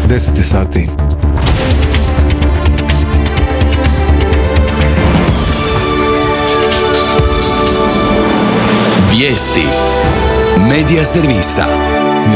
10 sati. Vijesti Medija servisa.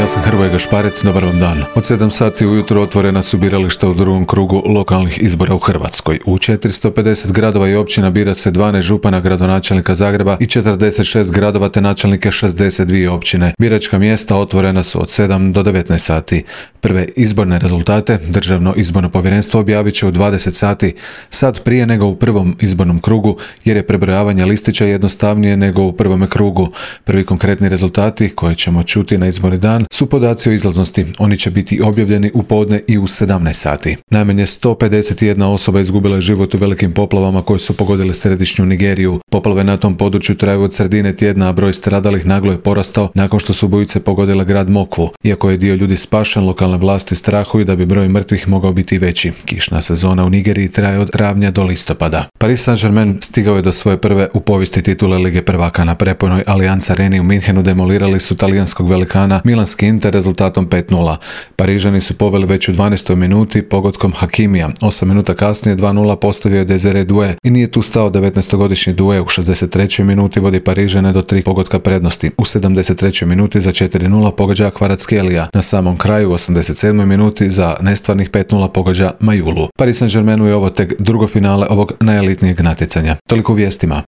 Ja sam Hrvoje Gašparec, dobar vam dan. Od 7 sati ujutro otvorena su birališta u drugom krugu lokalnih izbora u Hrvatskoj. U 450 gradova i općina bira se 12 župana, gradonačelnika Zagreba i 46 gradova te načelnike 62 općine. Biračka mjesta otvorena su od 7 do 19 sati. Prve izborne rezultate Državno izborno povjerenstvo objavit će u 20 sati, sad prije nego u prvom izbornom krugu, jer je prebrojavanje listića jednostavnije nego u prvome krugu. Prvi konkretni rezultati koje ćemo čuti na izborni dan su podaci o izlaznosti. Oni će biti objavljeni u podne i u 17 sati. Najmanje 151 osoba izgubila je život u velikim poplavama koje su pogodile središnju Nigeriju. Poplave na tom području traju od sredine tjedna, a broj stradalih naglo je porastao nakon što su bujice pogodile grad Mokvu. Iako je dio ljudi spašen, lokalne vlasti strahuju da bi broj mrtvih mogao biti veći. Kišna sezona u Nigeriji traje od travnja do listopada. Paris Saint-Germain stigao je do svoje prve u povijesti titule Lige prvaka. Na prepojnoj Allianz Areni u Minhenu demolirali su talijanskog velikana Milanski Inter rezultatom 5:0. Parižani su poveli već u 12. minuti pogodkom Hakimija. 8 minuta kasnije 2:0 postavio je Desire Doué i nije tu stao. 19-godišnji Doué u 63. minuti vodi Parižane do 3 pogotka prednosti. U 73. minuti za 4:0 pogađa Kvaratskhelia. Na samom kraju u 87. minuti za nestvarnih 5:0 pogađa Majulu. Paris Saint-Germainu je ovo tek drugo finale ovog najelitnijeg natjecanja. Toliko u vijestima.